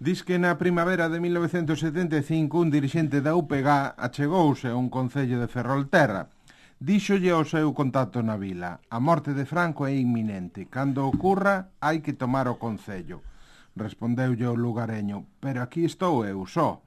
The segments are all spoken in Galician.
Dis que na primavera de 1975 un dirixente da UPG achegouse a un concello de Ferrolterra. Díxolle ao seu contacto na vila: a morte de Franco é inminente. Cando ocurra, hai que tomar o concello. Respondeulle o lugareño: pero aquí estou eu só.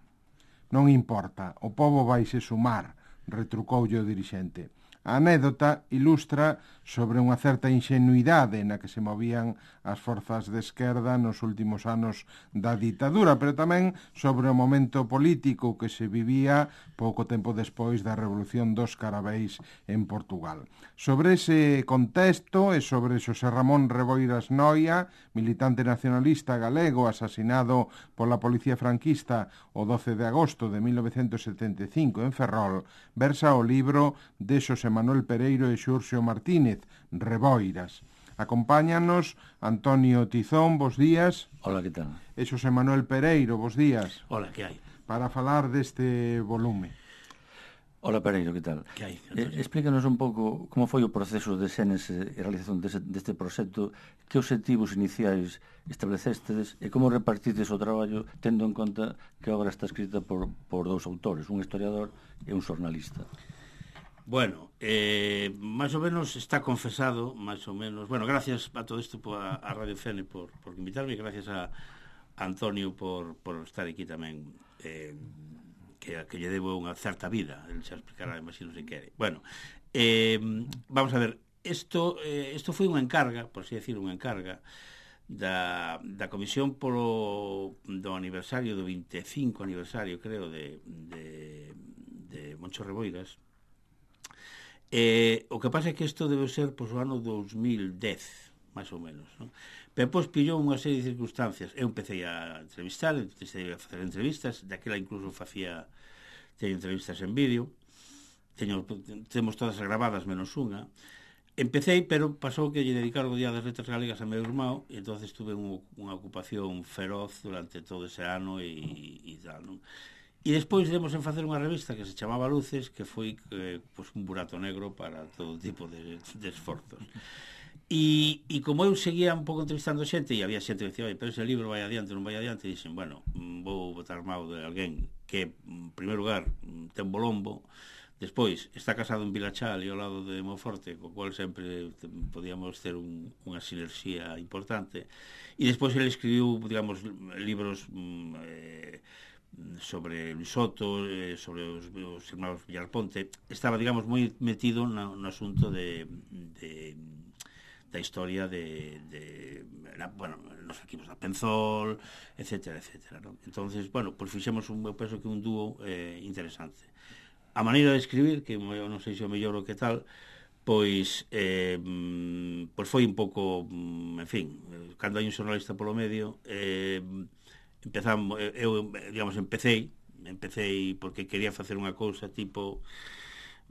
Non importa, o pobo vaise sumar, retrucoulle o dirixente. A anécdota ilustra sobre unha certa ingenuidade na que se movían as forzas de esquerda nos últimos anos da ditadura, pero tamén sobre o momento político que se vivía pouco tempo despois da Revolución dos Carabeis en Portugal. Sobre ese contexto e sobre Xosé Ramón Reboiras Noia, militante nacionalista galego asasinado pola policía franquista o 12 de agosto de 1975 en Ferrol, versa o libro de Xosé Manuel Pereiro e Xurxo Martínez, Reboiras. Acompáñanos Antonio Tizón, bos días. Hola, que tal? E Xosé Manuel Pereiro, bos días. Hola, que hai? Para falar deste volume. Hola, Pereiro, que tal? Que hai? Explícanos un pouco como foi o proceso de xénese e realización deste proxecto, que obxectivos iniciais establecestes e como repartides o traballo tendo en conta que a obra está escrita por dous autores, un historiador e un xornalista. Bueno, máis ou menos está confesado, máis ou menos. Bueno, gracias a todo isto a Radio Fene por invitarme, gracias a Antonio por estar aquí tamén, que lle debo unha certa vida, el xa explicará, imagino, se quere. Bueno, vamos a ver, isto foi unha encarga, por así decir, unha encarga da comisión do aniversario, do 25 aniversario, creo, de Moncho Reboiras. O que pasa é que isto debe ser o ano 2010, máis ou menos, non? Pero depois pillou unha serie de circunstancias. Eu empecé a entrevistar, empecé a facer entrevistas, daquela incluso teño entrevistas en vídeo, temos todas gravadas menos unha. Empecé, pero pasou que lle dedicaron o Día das Letras Galegas a meu irmão, e entonces tuve unha ocupación feroz durante todo ese ano e tal, non? E despois demos en facer unha revista que se chamaba Luces, que foi un burato negro para todo tipo de esforzos. E como eu seguía un pouco entrevistando xente, e había xente que dicía: pero ese libro vai adiante, non vai adiante, e dixen, bueno, vou botar mao de alguén que, en primeiro lugar, ten bolombo, despois está casado en Vilachal e ao lado de Monforte, co cual sempre podíamos ter unha sinerxía importante, e despois ele escribiu, digamos, libros sobre Luis Soto, sobre os irmãos Villarponte. Estaba, digamos, moi metido no asunto da historia nos equipos da Penzol, etcétera, etcétera, ¿no? Entonces, bueno, pues fixemos eu penso que un dúo interesante. A maneira de escribir, que eu non sei se o mellor o que tal, pois foi un pouco, en fin, cando hai un xornalista polo medio, empecé porque quería facer unha cousa tipo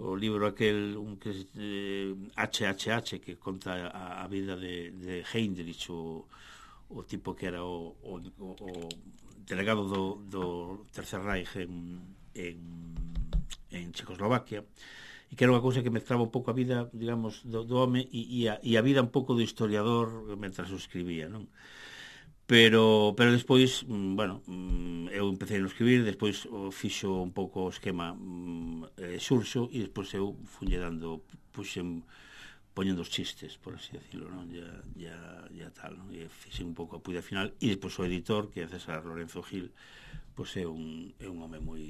o libro aquel que HHH, que conta a vida de Heinrich, o tipo que era o delegado do Tercer Reich en Checoslovaquia, e que era unha cousa que mezclaba un pouco a vida, digamos, do home e a vida un pouco do historiador mentras o escribía, non? Pero despois, bueno, eu empecé a escribir, despois fixo un pouco o esquema Xurxo, e despois eu funlle dando, poñendo os chistes, por así decirlo, non? Ya tal, non? E fixe un pouco a puida final, e despois o editor, que é César Lorenzo Gil, pois é un home moi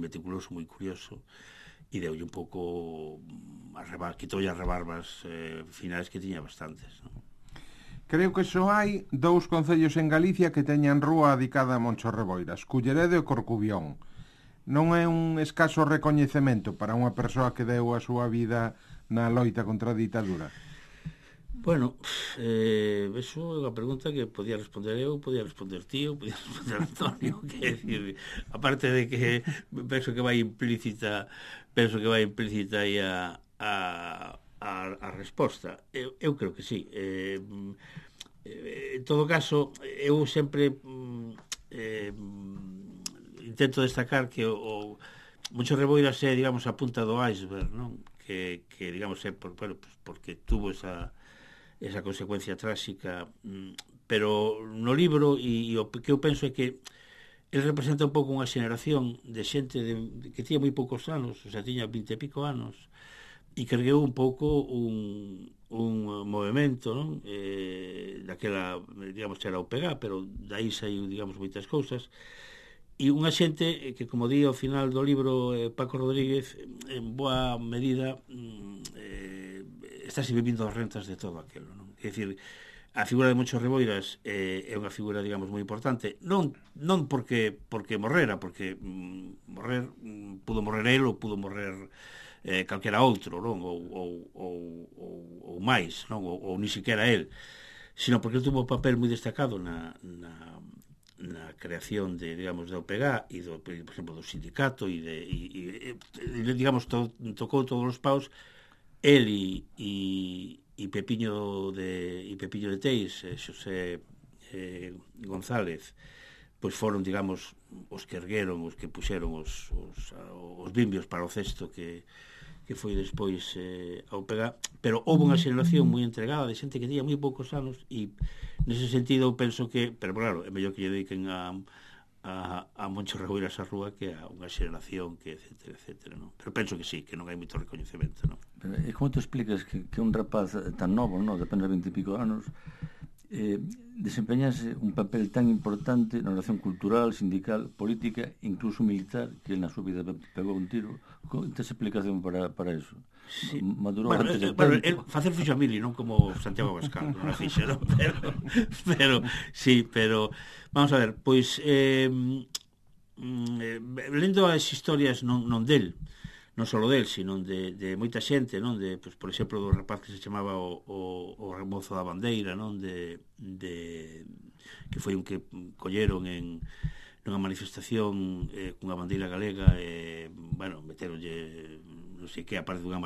meticuloso, moi curioso, e deulle un pouco quitoulle as rebarbas finais que tiña bastantes, non? Creo que só hai dous concellos en Galicia que teñan rúa dedicada a Moncho Reboiras, Culleredo e Corcubión. Non é un escaso recoñecemento para unha persoa que deu a súa vida na loita contra a ditadura? Bueno, eso é unha pregunta que podía responder eu, podía responder tío, podía responder Antonio, que decir, aparte de que penso que vai implícita aí a resposta. Eu creo que sí. En todo caso, eu sempre intento destacar que o Moncho Reboiras é, digamos, a punta do iceberg, non? Que digamos, é porque tuvo esa consecuencia tráxica, pero no libro e o que eu penso é que el representa un pouco unha xeneración de xente que tiña moi poucos anos, o sea, tiña 20 e pico anos, e cargueu un pouco un movimento, non? Daquela, digamos, era o PEGA, pero daí saiu, digamos, moitas cousas, e unha xente que, como di ao final do libro Paco Rodríguez, en boa medida estáse vivindo as rentas de todo aquilo, non? É dicir, a figura de Moncho Reboiras é unha figura, digamos, moi importante, non porque morrera, porque pudo morrer el ou pudo morrer calquera outro, non? Ou máis, non? Ou ni siquiera el, sino porque el tuvo un papel moi destacado na creación de, digamos, da OPG e por exemplo, do sindicato e digamos, tocou todos os paus. El e Pepiño de Teis, Xosé González, pois foron, digamos, os que ergueron, os que puxeron os bimbios para o cesto que foi despois ao pegar, pero houve unha xeración moi entregada de xente que tiña moi poucos anos e nese sentido eu penso que, pero claro, é mellor que lle dediquen a Moncho Reboiras a rúa que a unha xeración que etcétera, non? Pero penso que sí, que non hai moito recoñecemento, non? Pero, e como te explicas que un rapaz tan novo, non, de apenas 20 e pico anos, desempeñase un papel tan importante na relación cultural, sindical, política, incluso militar, que na súa vida pegou un tiro? Tes explicación para eso? Sí. Madurou antes de tempo. Facer fixo a mili, non como Santiago Abascal, non a fixo, non? Pero sí, pero vamos a ver, pois lendo as historias non del, non só del, sino de moita xente, non? De, pois, por exemplo, do rapaz que se chamaba o Remozo da Bandeira, non? Que foi un que colleron nunha manifestación cunha bandeira galega bueno, meteronlle non sei que, aparte da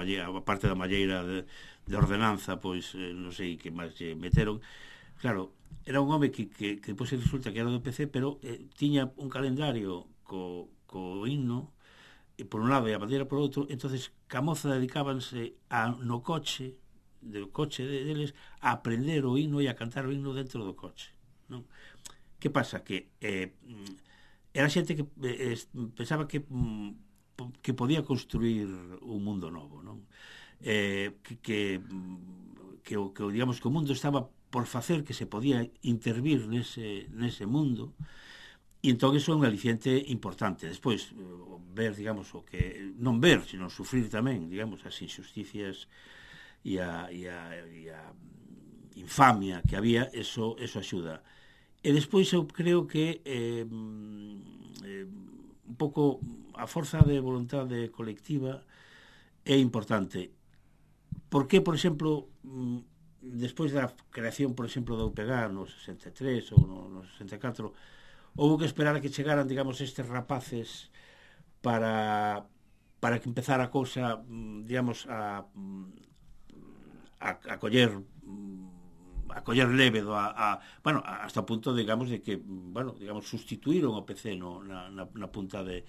malleira de ordenanza, pois non sei que máis lle meteron. Claro, era un home que depois resulta que era do PC, pero tiña un calendario co himno por un lado e a bandeira por outro. Entonces Camoza dedicábanse no coche deles a aprender o himno e a cantar o himno dentro do coche, non? Que pasa? Que era xente que pensaba que podía construir un mundo novo, non? Digamos que o mundo estaba por facer, que se podía intervir nese mundo. E entón iso é un aliciente importante. Despois, ver, digamos, o que non ver, sino sufrir tamén, digamos, as injusticias e a infamia que había, eso axuda. E despois eu creo que un pouco a forza de vontade colectiva é importante. Por que, por exemplo, despois da creación, por exemplo, da UPG no 63 ou no 64, houve que esperar a que chegaran, digamos, estes rapaces para que empezara a cousa, digamos, a coller leve bueno, hasta o punto, digamos, de que, bueno, digamos, sustituíron o PC na punta de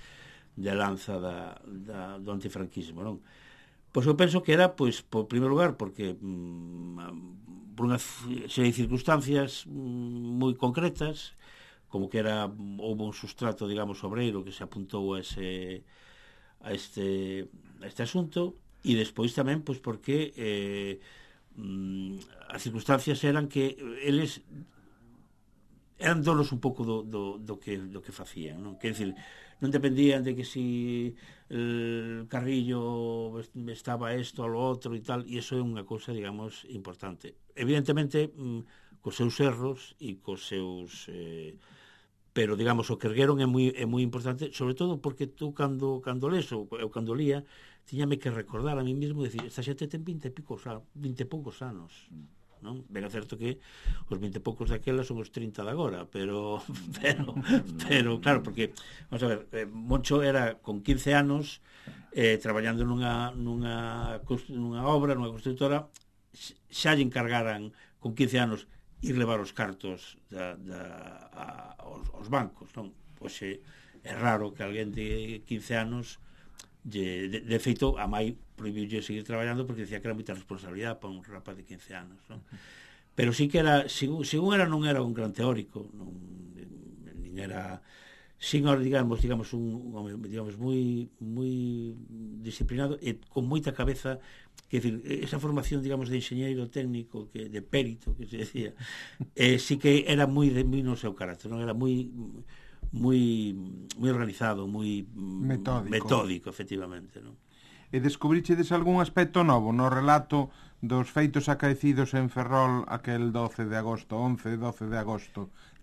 lanza do antifranquismo, non? Pois eu penso que era, pois, por primeiro lugar, porque por unha serie de circunstancias moi concretas, como que houve un sustrato, digamos, obreiro que se apuntou a este asunto, e despois tamén, pois, porque as circunstancias eran que eles eran donos un pouco do que facían, non? Quer dizer, non dependían de que si el Carrillo estaba isto ou lo outro e tal, e iso é unha cousa, digamos, importante. Evidentemente, cos seus erros e cos seus pero, digamos, o que ergueron é moi importante, sobre todo porque tú cando les, ou cando lía, tiñame que recordar a mí mesmo, decir, esta xente ten 20 e poucos anos, non? Ben é certo que os 20 e poucos daquela son os 30 de agora, pero claro, porque, vamos a ver, Moncho era con 15 anos traballando nunha obra, nunha constructora, xa lle encargaran con 15 anos ir levar os cartos aos bancos, non? Pois é raro que alguén de 15 anos de feito, a mai prohibiulle seguir traballando porque decía que era moita responsabilidade para un rapaz de 15 anos, non? pero sí que era, según era, non era un gran teórico, nin era, sin digamos un home, digamos, moi disciplinado e con moita cabeza, que decir, esa formación, digamos, de enxeñeiro técnico, que de perito, que se decía, sí que era moi no seu carácter, non era moi organizado, moi metódico, efectivamente, non? E descubrichedes algún aspecto novo no relato dos feitos acaecidos en Ferrol aquel 11 de agosto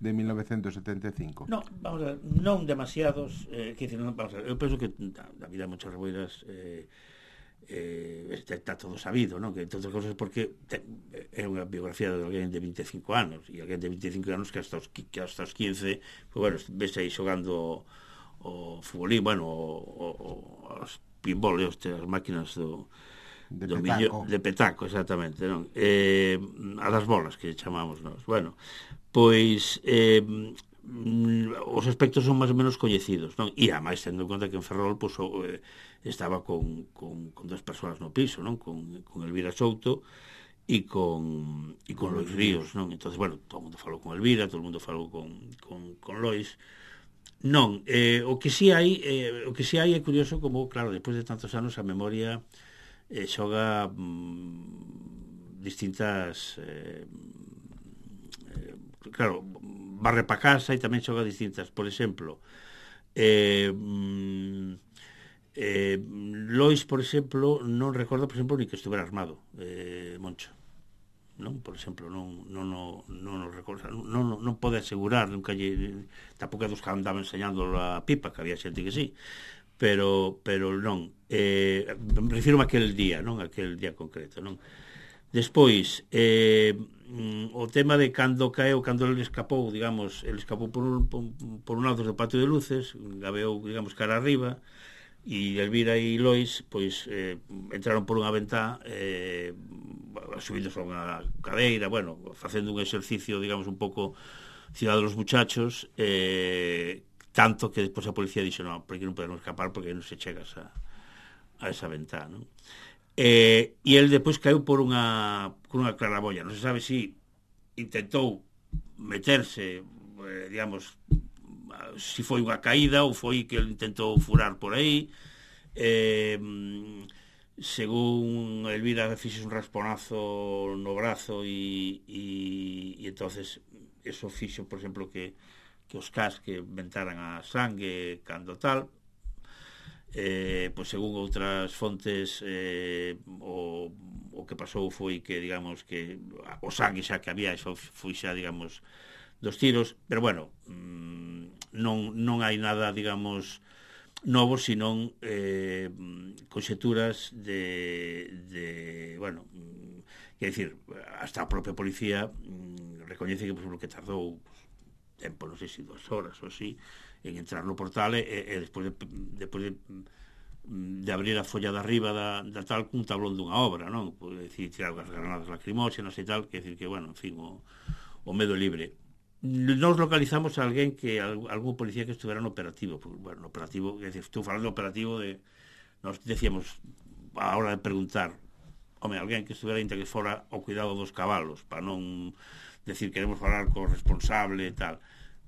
de 1975? No, vamos a ver, non demasiados, vamos a ver, eu penso que a vida de Moncho Reboiras está todo sabido, non? Que todas as cousas, porque é unha biografía de alguén de 25 anos, e alguén de 25 anos que hasta os 15, pues, bueno, ves aí xogando o futbolín, bueno, os pinball, as máquinas de petaco, exactamente, non? A das bolas, que chamamos nós. Bueno, pois os aspectos son máis ou menos coñecidos, non? E ademais, tendo en conta que en Ferrol pues, estaba con dos persoas no piso, non? Con Elvira Souto e con Lois Ríos, non? Entonces, bueno, todo o mundo falou con Elvira, todo o mundo falou con Lois. Non, o que si hai é curioso como, claro, despois de tantos anos a memoria xoga distintas claro, barre pa casa e tamén xoga distintas, por exemplo Lois, por exemplo, non recorda, por exemplo, ni que estuvera armado Moncho, non, por exemplo, non recorda, non pode asegurar, nunca tampouco é dos que andaban enseñando a pipa, que había xente que sí, pero non, refiro a aquel día, non, aquel día concreto, non. Despois, o tema de cando caeu, cando ele escapou, digamos, ele escapou por un lado do patio de luces, gabeou, digamos, cara arriba, e Elvira e Lois pois entraron por unha ventá subindo sobre unha cadeira, bueno, facendo un exercicio, digamos, un pouco Ciudad de los Muchachos, tanto que despois a policía dixo, non, porque non podemos escapar porque non se chegas a esa ventá, non? E el despois caeu por unha claraboia, non se sabe se intentou meterse, digamos, se foi unha caída ou foi que ele intentou furar por aí. Según Elvira fixe un rasponazo no brazo e entonces eso fixo, por exemplo, que os casque ventaran a sangue cando tal. Pois según outras fontes o que pasou foi que, digamos, que o sangue xa que había foi xa, digamos, dos tiros, pero bueno, non hai nada, digamos, novo, senón conxeturas de bueno, quer dicir, hasta a propia policía recoñece que, por exemplo, que tardou tempo, non sei se 2 horas ou así, en entrar no portal e despois de abrir a folla de arriba da tal cun tablón dunha obra, non? Pode decir, tirar as granadas lacrimóxenas e tal, quer decir que, bueno, en fin, o medo libre. Nos localizamos a alguén que algún policía que estuvera no operativo, porque, bueno, no operativo, quer decir, estou falando do operativo de, nos decíamos a hora de preguntar, home, alguén que estuvera inta que fora ao cuidado dos cabalos, para non decir queremos falar co responsable e tal,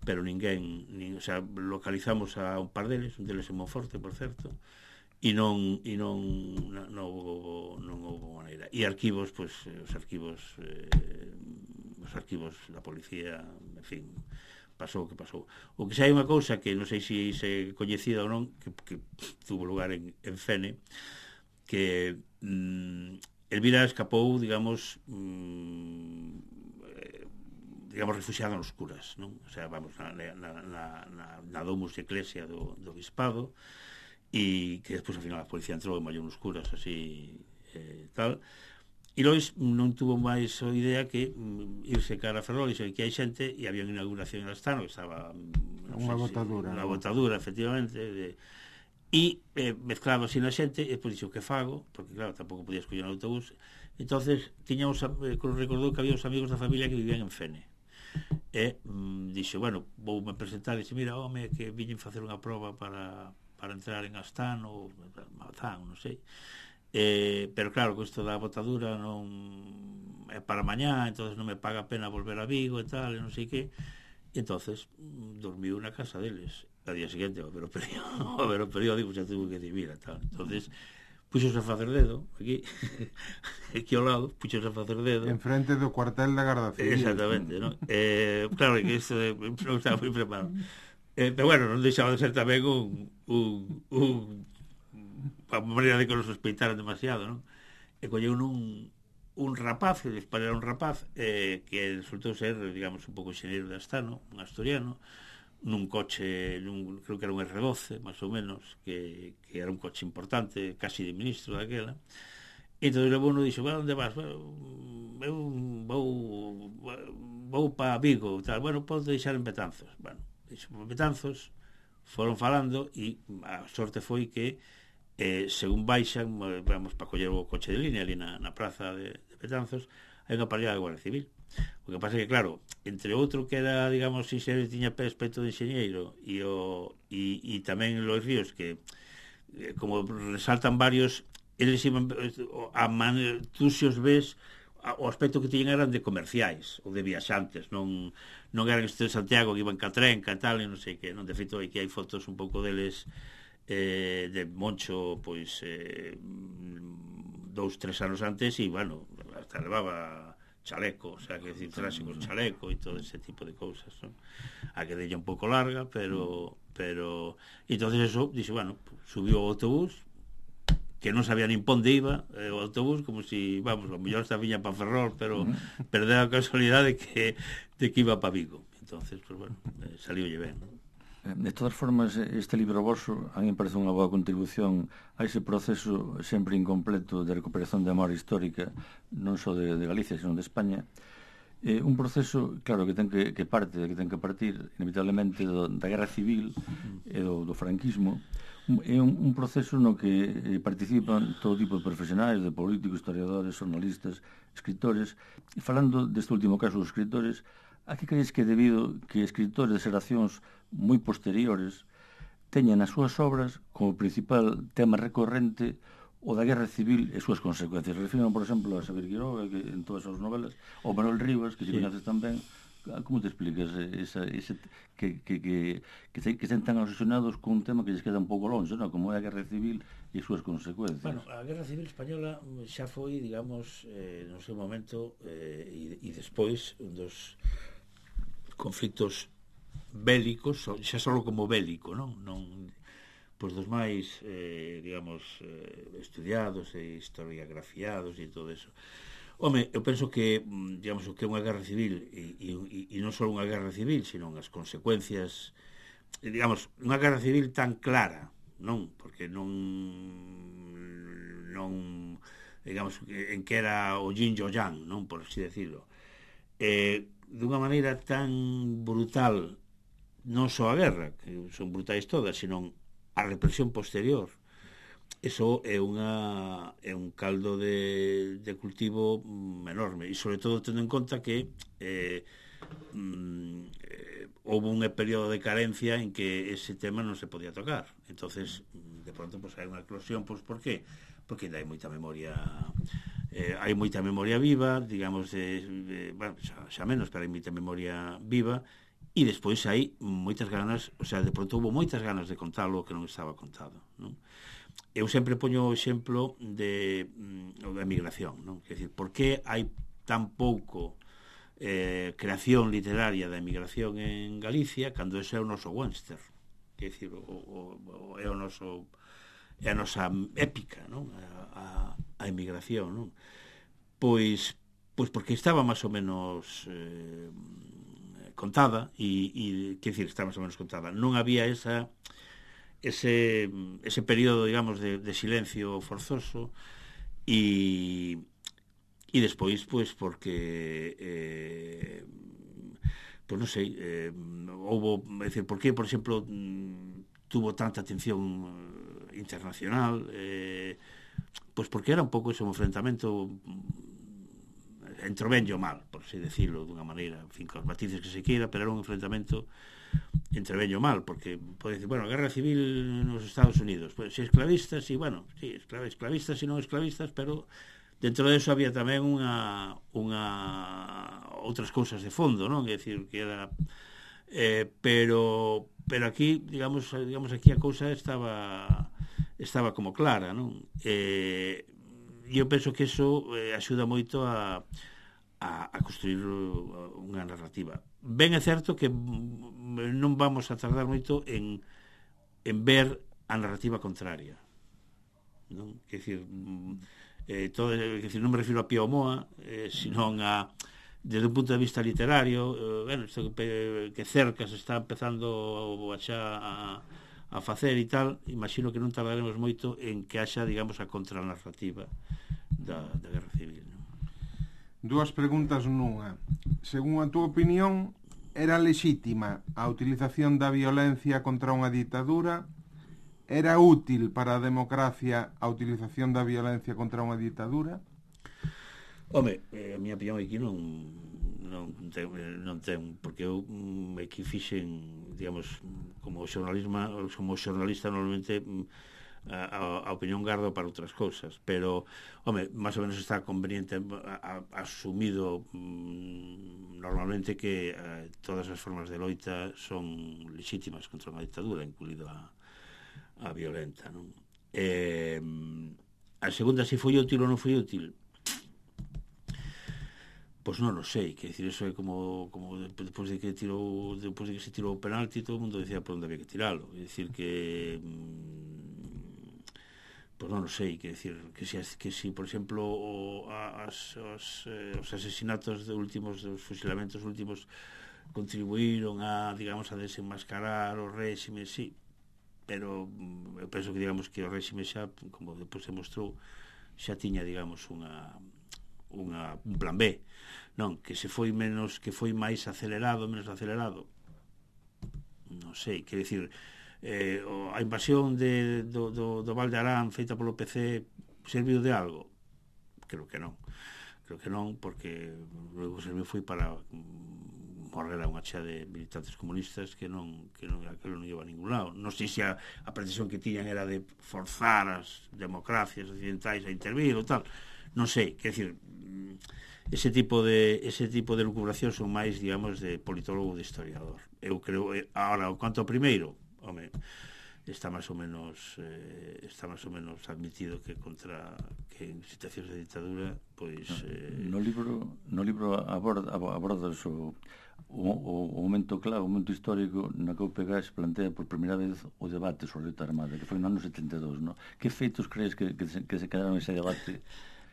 pero ninguén, o sea, localizamos a un par deles, un deles en Monforte, por certo, e non houve maneira. E arquivos, pois, os arquivos da policía, en fin, pasou o que pasou. O que xa hai unha cousa que non sei se é coñecida ou non, que tuvo lugar en Fene, que Elvira escapou, digamos, refuxiada nos curas, non? O sea, vamos, na domus de Eclesia do bispado, e que despois, ao final, a policía entrou en mallou nos curas, así, tal. E Lois non tuvo máis a idea que irse cara a Ferrol, e que hai xente, e había unha inauguración en Astano, que estaba unha botadura, efectivamente, e mezclado así na xente, e despois dixo, que fago? Porque, claro, tampouco podía escoller un autobús. Entonces recordou que había os amigos da familia que vivían en Fene, e dixo, bueno, voume presentar, e dixo, mira, home, que viñen facer unha proba para entrar en Astano ou Mazán, non sei, pero claro, que isto da botadura non é para mañá, entonces non me paga a pena volver a Vigo e tal, e non sei que. E entonces dormiu na casa deles. A día seguinte, a ver o periódico, xa tuvo que dicir e tal. Entonces puxose a facer dedo aquí aquí ao lado, puxose a facer dedo en frente do cuartel da Garda Civil. exactamente, non? Claro que isto non estaba moi preparado, pero bueno, non deixaba de ser tamén a maneira de que nos sospeitaran demasiado, non? E colleu un rapaz, que despois era un rapaz que resultou ser, digamos, un pouco xeneiro de Astano, un asturiano, nun coche, creo que era un R12, máis ou menos, que era un coche importante, casi de ministro daquela. E entón o bono dixo, onde vas? Eu vou para Vigo, tal. Bueno, podes deixar en Betanzos. Bueno, dixo, por Betanzos foron falando e a sorte foi que según baixan, vamos para coller o coche de línea ali na praza de Betanzos, hai unha parella de Guardia Civil. O que pasa é que, claro, entre outro que era, digamos, enxeñeiro, tiña aspecto de enxeñeiro, e tamén Lois Ríos, que como resaltan varios, eles iban tú se os ves, o aspecto que tiñan eran de comerciais ou de viaxantes, non eran estes de Santiago que iban ca trenca e tal, e non sei que, non, de feito hai fotos un pouco deles de Moncho, pois 2-3 anos antes, e bueno, hasta levaba chaleco, o sea, que decir, traxe con chaleco e todo ese tipo de cousas, non? A que della un pouco larga, pero entonces eso, dixe, bueno, subiu ao autobús, que non sabía nin ponde iba o autobús, como si, vamos, o mellor esta viña para Ferrol, pero perdeu a casualidade de que iba para Vigo. Entonces, pues bueno, saliulle ben, non? De todas formas, este libro voso a mí me parece unha boa contribución a ese proceso sempre incompleto de recuperación de memoria histórica, non só de Galicia, senón de España. Un proceso, claro, que ten que partir inevitablemente da Guerra Civil e do franquismo. É un proceso no que participan todo tipo de profesionais, de políticos, historiadores, jornalistas, escritores. E falando deste último caso dos escritores, a que crees que debido que escritores de xeracións moi posteriores teñan as súas obras como principal tema recorrente o da Guerra Civil e súas consecuencias? Refiro, por exemplo, a Xavier Quiroga, que en todas as novelas, ou Manuel Rivas, que se coñeces tamén. Como te explicas que estén tan obsesionados con un tema que lles queda un pouco longe, non? Como é a Guerra Civil e as súas consecuencias? Bueno, a Guerra Civil Española xa foi, digamos, no seu momento e despois un dos conflictos bélicos, xa só como bélico, non pois dos máis, digamos, estudiados e historiografiados e todo eso. Home, eu penso que, digamos, o que é unha guerra civil e non só unha guerra civil, sino as consecuencias, digamos, unha guerra civil tan clara, non? Porque non digamos, en que era o yin e o yang, non? Por así decirlo. Dunha maneira tan brutal, non só a guerra, que son brutais todas, sino a represión posterior. Eso é un caldo de cultivo enorme, e sobre todo tendo en conta que houve un período de carencia en que ese tema non se podía tocar. Entonces, de pronto, pues, hai unha eclosión. Pues, por qué? Porque ainda hai moita memoria viva, digamos, bueno, xa menos, pero hai moita memoria viva, e despois hai moitas ganas, o sea, de pronto houve moitas ganas de contalo que non estaba contado, non? Eu sempre poño o exemplo da emigración, non? Quer dizer, por que hai tan pouco creación literaria da emigración en Galicia cando ese é o noso Webster? Quer dizer, é o noso, é a nosa épica, non? A emigración, non? Pois porque estaba máis ou menos contada, e quer dizer, estaba máis ou menos contada. Non había ese período, digamos, de silencio forzoso, e despois, pois, porque pois non sei, houve, é dicir, por que, por exemplo, tuvo tanta atención internacional, pois porque era un pouco ese enfrentamento entrovenllo mal, por así decirlo dunha maneira, en fin, cos matices que se queira, pero era un enfrentamento entreveño mal, porque pode decir, bueno, guerra civil nos Estados Unidos, pues, si esclavistas, e bueno, sí, esclavistas e non esclavistas, pero dentro de eso había tamén outras cousas de fondo, non? É dicir, que era pero aquí, digamos aquí a cousa estaba como clara, non? Eu penso que eso axuda moito a construir unha narrativa. Ben é certo que non vamos a tardar moito en ver a narrativa contraria, non? Quer dicir, non me refiro a Pío Moa, senón a desde un punto de vista literario, bueno, isto que Cercas está empezando a facer e tal, imagino que non tardaremos moito en que haxa, digamos, a contranarrativa da Guerra Civil, non? Dúas preguntas nunha. Según a túa opinión, era lexítima a utilización da violencia contra unha ditadura? Era útil para a democracia a utilización da violencia contra unha ditadura? Home, a miña opinión aquí non ten, porque eu aquí fixen, digamos, como xornalista normalmente a opinión gardo para outras cousas, pero, home, máis ou menos está conveniente asumido normalmente que todas as formas de loita son lexítimas contra unha dictadura, incluída a violenta, non? A segunda, se foi útil ou non foi útil, pois non o sei, que decir, eso é como depois de que se tirou o penalti, todo o mundo decía por onde había que tiralo, é dicir que pois non o sei, que decir que si por exemplo os asesinatos dos fusilamentos últimos contribuíron a, digamos, a desenmascarar o réxime, sí, pero eu penso que, digamos, que o réxime xa, como depois se mostrou, xa tiña, digamos, un plan B, non? Que se foi máis acelerado, menos acelerado, non sei, quer dicir, a invasión do Val de Arán feita polo PC serviu de algo? Creo que non, porque logo serviu foi para morrer a unha chea de militantes comunistas que non iba a ningún lado. Non sei se a pretensión que tiñan era de forzar as democracias occidentais a intervir ou tal, non sei, quer dicir, ese tipo de lucubración son máis, digamos, de politólogo, de historiador. Eu creo, ahora, quanto ao primeiro, home, está máis ou menos admitido que en situacións de ditadura, pois no libro abordas o momento clave, o momento histórico na que o UPG plantea por primeira vez o debate sobre a loita armada, que foi no ano 72, no? Que feitos crees que se quedaron ese debate?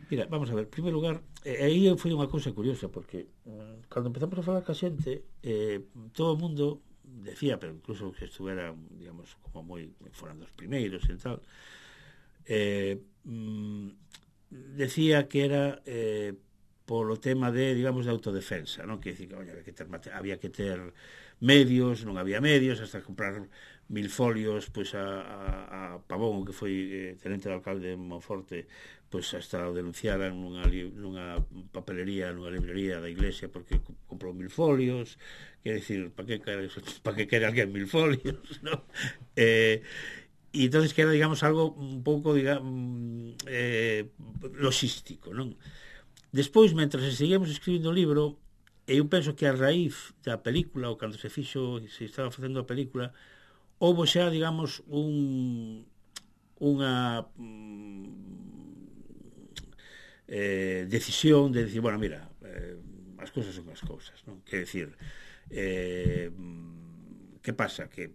Mira, vamos a ver, en primeiro lugar, aí foi unha cousa curiosa, porque cando empezamos a falar ca xente, todo o mundo decía, pero incluso que estuvera, digamos, como moi foran dos primeiros e tal, decía que era polo tema de, digamos, de autodefensa, non? Que dicir, había que ter medios, non había medios, hasta comprar 1000 folios, pois a Pavón, que foi tenente de alcalde de Monforte, pois hasta o denunciaran nunha papelería, nunha librería da iglesia porque comprou 1000 folios, quer dicir, para que quere alguén 1000 folios, non? E entonces que era, digamos, algo un pouco, digamos, logístico, non? Despois, mentras seguíamos escribindo o libro, eu penso que a raíz da película, ou cando se estaba facendo a película, houve xa, digamos, unha decisión de decir, bueno, mira, as cousas son as cousas, non? Quer decir, que pasa? Que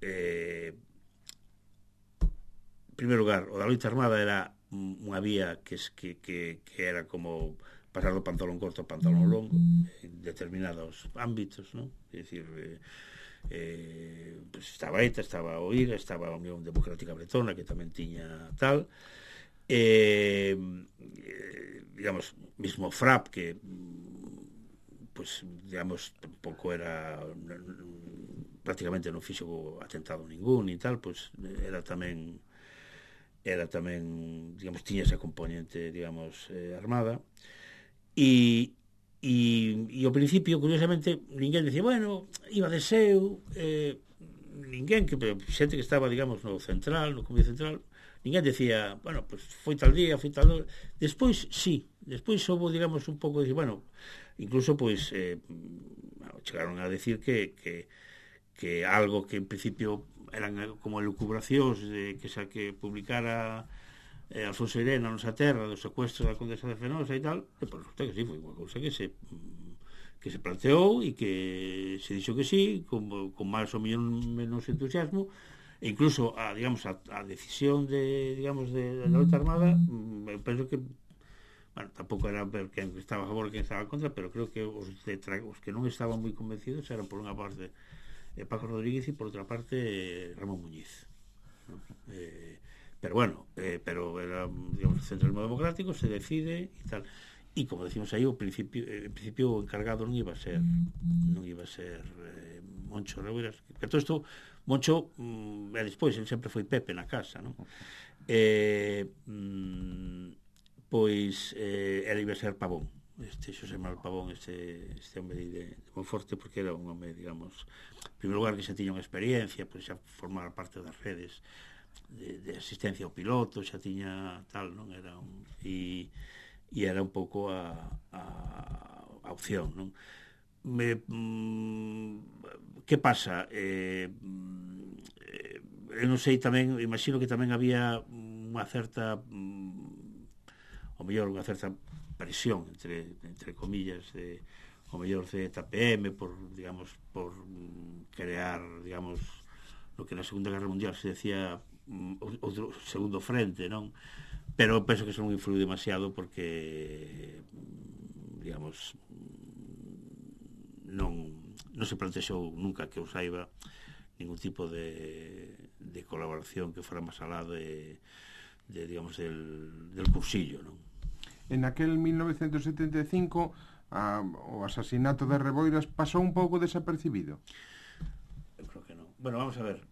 en primeiro lugar, o da loita armada era unha vía que era como pasar do pantalón corto ao pantalón longo en determinados ámbitos, non? É dicir, pues estaba ETA, estaba o IRA, estaba a Unión Democrática Bretona, que tamén tiña tal, digamos, mismo FRAP, que pues, digamos, tampouco era prácticamente non fixo atentado ningún e tal, pues era tamén, digamos, tiña esa componente, digamos, armada. e ao principio, curiosamente, ninguén decía, bueno, iba de seu, ninguén, xente que estaba, digamos, no central, no Comité Central, ninguén decía, bueno, pues foi tal día, foi tal hora. Despois, sí, despois houve, digamos, un pouco de, bueno, incluso, pois, chegaron a decir que algo que en principio eran como elucubracións de que publicara Alfonso Irene na nosa terra do secuestro da Condesa de Fenosa e tal, e por resulta que sí, foi unha cousa que se planteou e que se dixo que sí, con máis ou menos entusiasmo, e incluso a decisión de la loita armada, eu penso que, bueno, tampouco era ver quen estaba a favor e quen estaba en contra, pero creo que os que non estaban moi convencidos eran, por unha parte, Paco Rodríguez e por outra parte Ramón Muñiz, ¿no? Pero bueno, pero era, digamos, o centralismo democrático, se decide e tal. E como decimos aí, en principio o encargado non iba a ser Moncho Rebeiras, que todo isto Moncho, despois ele sempre foi Pepe na casa, non? Pois ele iba a ser Pavón, Xosé Manuel Pavón, este home de Monforte, porque era un home, digamos, en primeiro lugar, que xa tiña unha experiencia, pois xa formar parte das redes de asistencia ao piloto, xa tiña tal, non? Era e era un pouco a opción, non? Que pasa? Eu non sei, tamén imagino que tamén había unha certa ao mellor unha certa presión entre comillas ao mellor de TPM por crear, digamos, lo que na Segunda Guerra Mundial se decía outro segundo frente, non? Pero penso que eso non influiu demasiado porque, digamos, non se plantexou nunca que eu saiba ningún tipo de colaboración que fora máis alá digamos, del cursillo, non? En aquel 1975 o asasinato de Reboiras pasou un pouco desapercibido? Eu creo que non. Bueno, vamos a ver,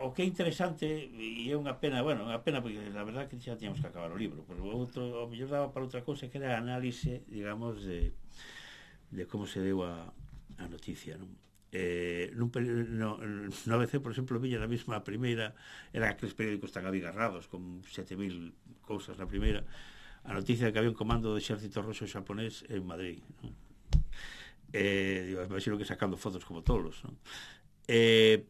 o que é interesante, e é unha pena, porque a verdade que xa tiñamos que acabar o libro, pero o mellor daba para outra cousa, que era a análise, digamos, de como se deu a noticia, non? No ABC, por exemplo, viña na mesma primeira, eran aqueles periódicos tan abigarrados, con 7.000 cousas na primeira, a noticia de que había un comando do exército roxo xaponés en Madrid, non? Imagino que sacando fotos como tolos, non? En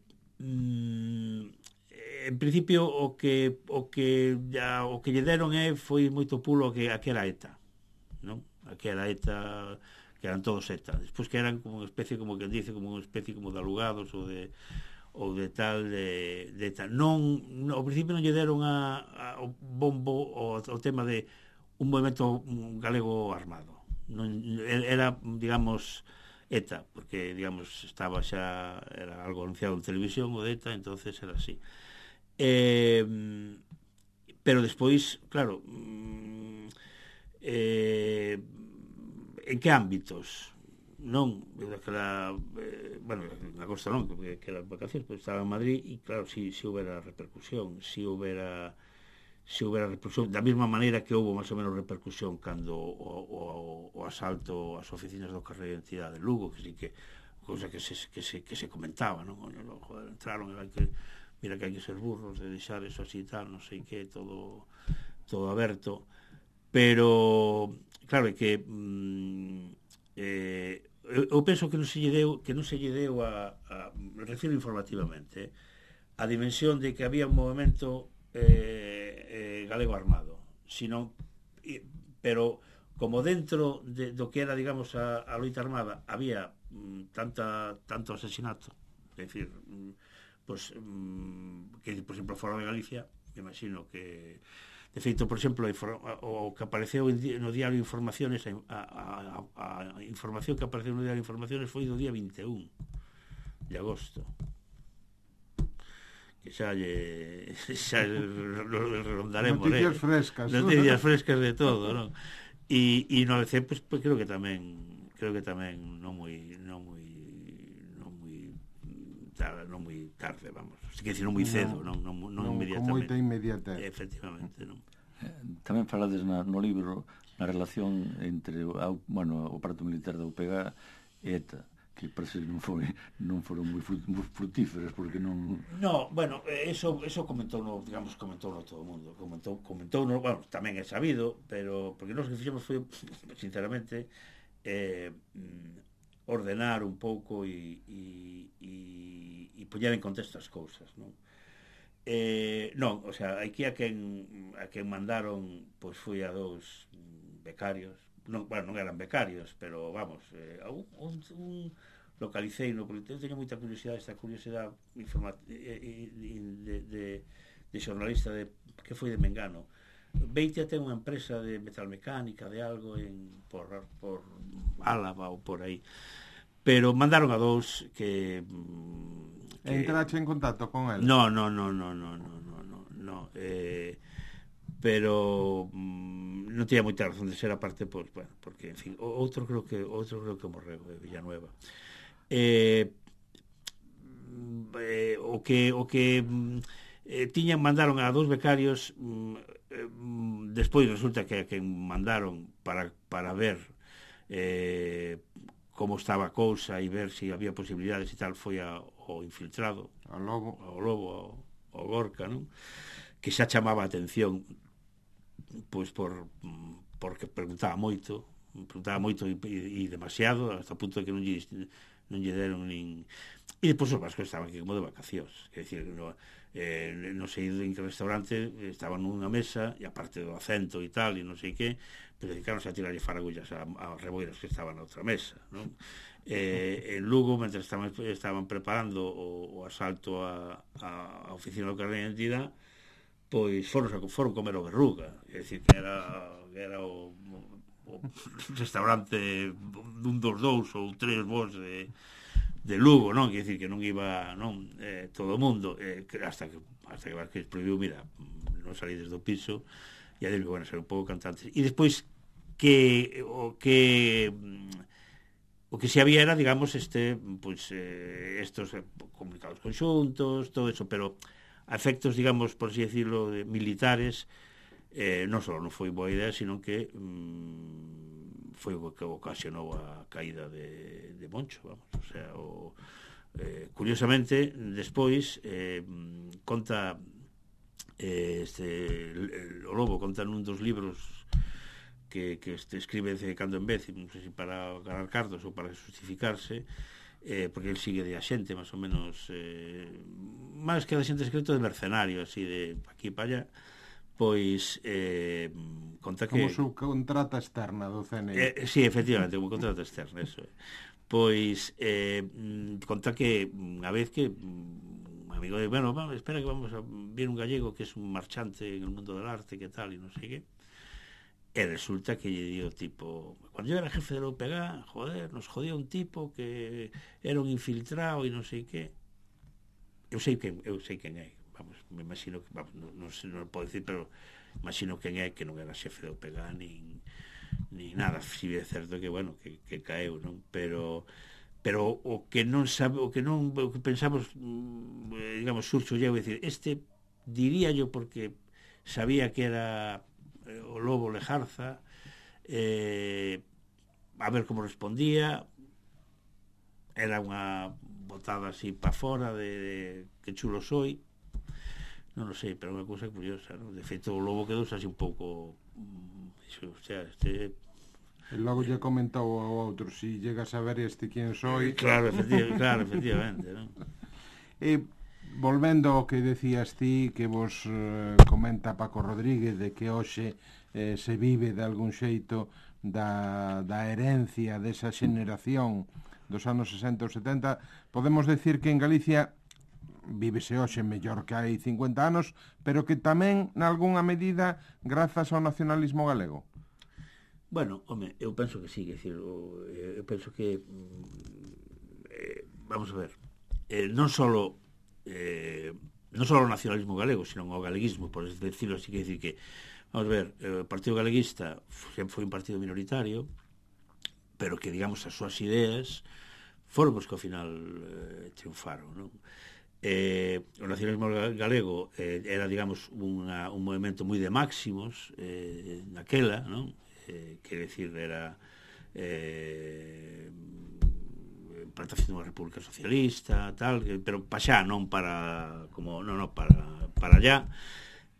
principio o que lle deron foi moito pulo que era ETA, non? Que era ETA, que eran todos ETA, despois que eran como unha especie, como que dice, como unha especie como de alugados ou de tal de ETA. Ao principio non lle deron o bombo ao tema de un movimento galego armado, non era, digamos, ETA, porque, digamos, estaba xa, era algo anunciado en televisión o de ETA, entonces era así. Pero despois, claro, en que ámbitos? Non, daquela, bueno, en agosto non, porque era vacacións, pero estaba en Madrid e, claro, si houbera repercusión, si houbera repercusión, da mesma maneira que houve máis ou menos repercusión cando o asalto ás oficinas do Carreiro de Identidade de Lugo, que sí que cousa que se comentaba, non? Joder, entraron, mira que hai que ser burros de deixar eso así e tal, non sei que, todo aberto, pero claro, é que eu penso que non se lle deu a refiro informativamente, a dimensión de que había un movimento galego armado, sino, pero como dentro do que era, digamos, a loita armada había tanto asesinato, é dicir, pues, que, por exemplo, fora de Galicia, me imagino que, de feito, por exemplo, o que apareceu no diario Informaciones, a información que apareceu no diario Informaciones foi do día 21 de agosto, que xa rondaremos noticias frescas de todo, non? E no ABC, pues, creo que tamén non moi tarde, vamos, que decir, non moi cedo, non inmediatamente, con moita inmediatez, efectivamente, non. Tamén falades no libro na relación entre o aparato militar da UPG e ETA, que parece que non foron moi frutíferas, porque non... No, bueno, eso comentou todo o mundo. Comentou, bueno, tamén é sabido, pero porque nós que fixemos foi, sinceramente, ordenar un pouco e poñer en contexto as cousas, non? Non, o sea, aquí a quen mandaron, pois foi a dous becarios, non eran becarios, pero vamos, un localicei no, porque eu teño moita curiosidade, esta curiosidade de xornalista que foi de Mengano. Beitia ten unha empresa de metalmecánica, de algo por Álava ou por aí, pero mandaron a dous que entrache en contacto con el? No, pero non tiña moita razón de ser, aparte, pois, bueno, porque, en fin, outro creo que morreu, Villanueva. O que mandaron a dous becarios, despois resulta que a quen mandaron para ver como estaba a cousa e ver se había posibilidades e tal, foi ao infiltrado, ao Lobo, ao Gorka, non? Que xa chamaba a atención, pois porque preguntaba moito e demasiado, hasta o punto de que non lle deron nin... E depois os vascos estaban aquí como de vacacións, quer dicir, non sei en que restaurante estaban nunha mesa, e aparte do acento e tal, e non sei que, pero dedicaronse a tirarlle faragullas a reboiras que estaban na outra mesa, non? En Lugo, mentre estaban preparando o asalto a oficina do carné de identidade, pois foron comer o Berruga, é dicir, que era o restaurante dun dos dous ou tres vos de Lugo, non? Quer dicir que non iba, non, todo o mundo, hasta que Vázquez prohibiu, mira, non salides do piso, e a dele, bueno, ser un pouco cantantes. E despois o que se había era, digamos, pois estos comunicados conxuntos, todo eso, pero a efectos, digamos, por así decirlo, militares, non só non foi boa idea, sino que foi o que ocasionou a caída de Moncho, vamos, o sea, curiosamente, despois conta o Lobo conta nun dos libros que escribe de cando en vez, non sei se para ganar cartos ou para justificarse, porque el sigue de axente, máis ou menos, máis que de axente secreto, de mercenario, así, de aquí para allá, pois conta que... Como subcontrata externa do CNI. Sí, efectivamente, como contrata externa, eso. Pois conta que unha vez que un amigo de, bueno, espera que vamos a ver un gallego que es un marchante en el mundo del arte, que tal, e non sei que, e resulta que lle dio tipo, cuando yo era jefe de la UPG, joder, nos jodía un tipo que era un infiltrado e non sei que. Eu sei quen é, vamos, me imagino que, vamos, non podo decir, pero imagino quen é, que non era xefe de UPG nin nada, si é certo que, bueno, que caeu, non? Pero o que non sabe, o que pensamos, digamos, Xurxo llevo, decir, diría yo, porque sabía que era o Lobo Lejarza, a ver como respondía, era unha botada así para fora de que chulo soy, non o sei, pero é unha cousa curiosa, non? De feito, o Lobo quedou así un pouco, o sea, E logo lle comentou ao outro, si llegas a ver quen soy... Claro, efectivamente, non? E volvendo ao que decías ti, que vos comenta Paco Rodríguez, de que hoxe se vive de algún xeito da herencia desa xeneración dos anos 60 ou 70, podemos decir que en Galicia vívese hoxe mellor que hai 50 anos, pero que tamén, nalgúnha medida, grazas ao nacionalismo galego. Bueno, home, eu penso que sí, eu penso que vamos a ver, non só o nacionalismo galego, sino o galeguismo, por decirlo así, que decir que, vamos a ver, o Partido Galeguista sempre foi un partido minoritario, pero que, digamos, as súas ideas foron os que ao final triunfaron, non? o nacionalismo galego era, digamos, un movimento moi de máximos naquela, non? Quer decir, era plantación dunha república socialista, tal, pero para xa, non para como non para allá.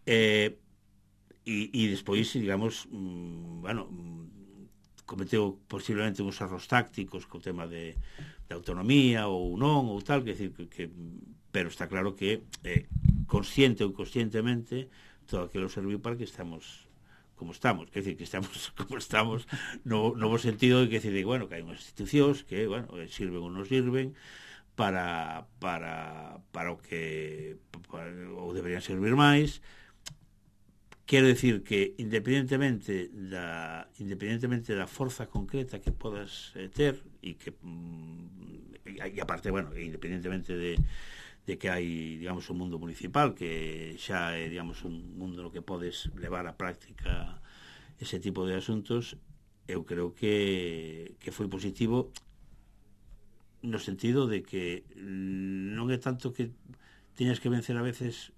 E despois, digamos, cometeu posiblemente uns erros tácticos co tema de autonomía ou non, ou tal, que decir que pero está claro que consciente ou inconscientemente todo aquilo serviu para que estamos como estamos, quer decir, que estamos como estamos no bo sentido de que decir, bueno, que hai unhas institucións que, bueno, sirven ou non sirven para o que ou deberían servir máis. Quero decir que independentemente da forza concreta que podas ter e que e aparte, bueno, independentemente de que hai, digamos, un mundo municipal que xa é, digamos, un mundo no que podes levar á práctica ese tipo de asuntos, eu creo que foi positivo no sentido de que non é tanto que teñas que vencer a veces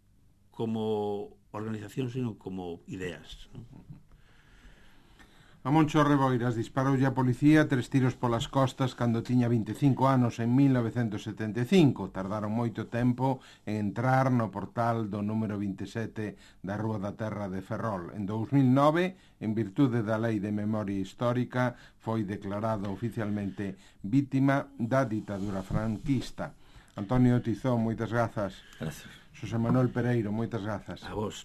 como organización, sino como ideas, non? A Moncho Reboiras disparoulle a policía 3 tiros polas costas cando tiña 25 anos en 1975. Tardaron moito tempo en entrar no portal do número 27 da Rúa da Terra de Ferrol. En 2009, en virtude da Lei de Memoria Histórica, foi declarado oficialmente vítima da ditadura franquista. Antonio Tizón, moitas grazas. Gracias. Xosé Manuel Pereiro, moitas grazas. A vos.